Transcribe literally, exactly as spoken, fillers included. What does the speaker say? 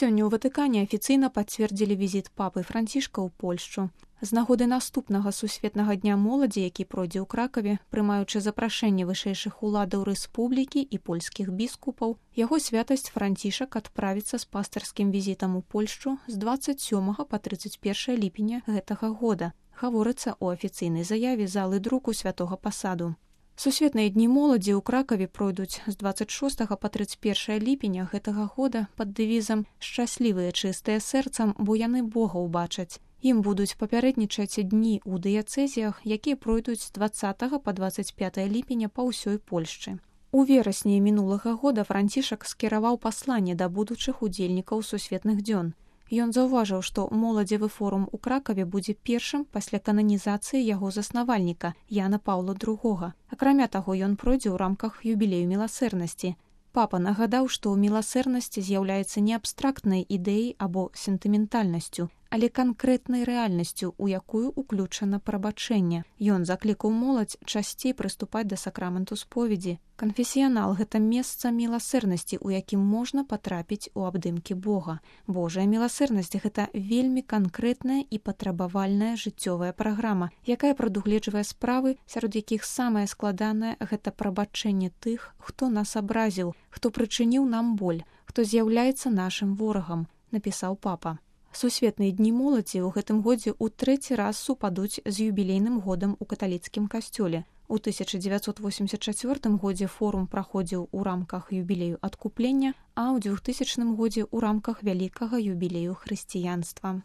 Сёння ў Ватыкане афіцыйна пацвердзілі візіт папы Францішка ў Польшчу. З нагоды наступнага сусветнага дня моладзі, які пройдзе ў Кракаве, прымаючы запрашэнне вышэйшых уладаў рэспублікі і польскіх біскупаў, яго святасць Францішак адправіцца з пастырскім візітам у Польшчу з дваццаць сёмага па трыццаць першае ліпеня гэтага года, гаворыцца ў афіцыйнай заяве залы друку святога пасаду. Сусветныя дні моладзі ў Кракаве пройдуць з дваццаць шостага па трыццаць першае ліпеня гэтага года пад дэвізам «Шчаслівыя чыстыя сэрцам, бо яны Бога ўбачаць». Ім будуць папярэднічаць дні ў дыяцэзіях, якія пройдуць з дваццатага па дваццаць пятае ліпеня па ўсёй Польшчы. У верасні мінулага года Францішак скіраваў пасланне да будучых удзельнікаў сусветных дзён. Ён заўважыў, што моладзевы форум у Кракаве будзе першым пасля кананізацыі яго заснавальніка Яна Паўла другога. Акрамя таго, ён пройдзе ў рамках юбілею міласэрнасці. Папа нагадаў, што міласэрнасць з'яўляецца не абстрактнай ідэяй або сентыментальнасцю, але канкрэтнай рэальнасцю, у якую ўключана прабачэнне. Ён заклікаў моладзь часцей прыступаць да сакраменту споведзі. Канфесіянал – гэта месца міласэрнасці, у якім можна патрапіць у абдымкі Бога. Божая міласэрнасць – гэта вельмі канкрэтная і патрабавальная жыццёвая праграма, якая прадугледжвае справы, сярод якіх самае складанае – гэта прабачэнне тых, хто нас абразіў, хто прычыніў нам боль, хто з'яўляецца нашым ворагам, напісаў папа. Сусветныя дні моладзі ў гэтым годзе ў трэці раз супадуць з юбілейным годам у каталіцкім касцёле. У тысяча дзевяцьсот восемьдесят чацвёртым годзе форум праходзіў у рамках юбілею адкуплення, а ў двухтысячным годзе ў рамках вялікага юбілею хрысціянства.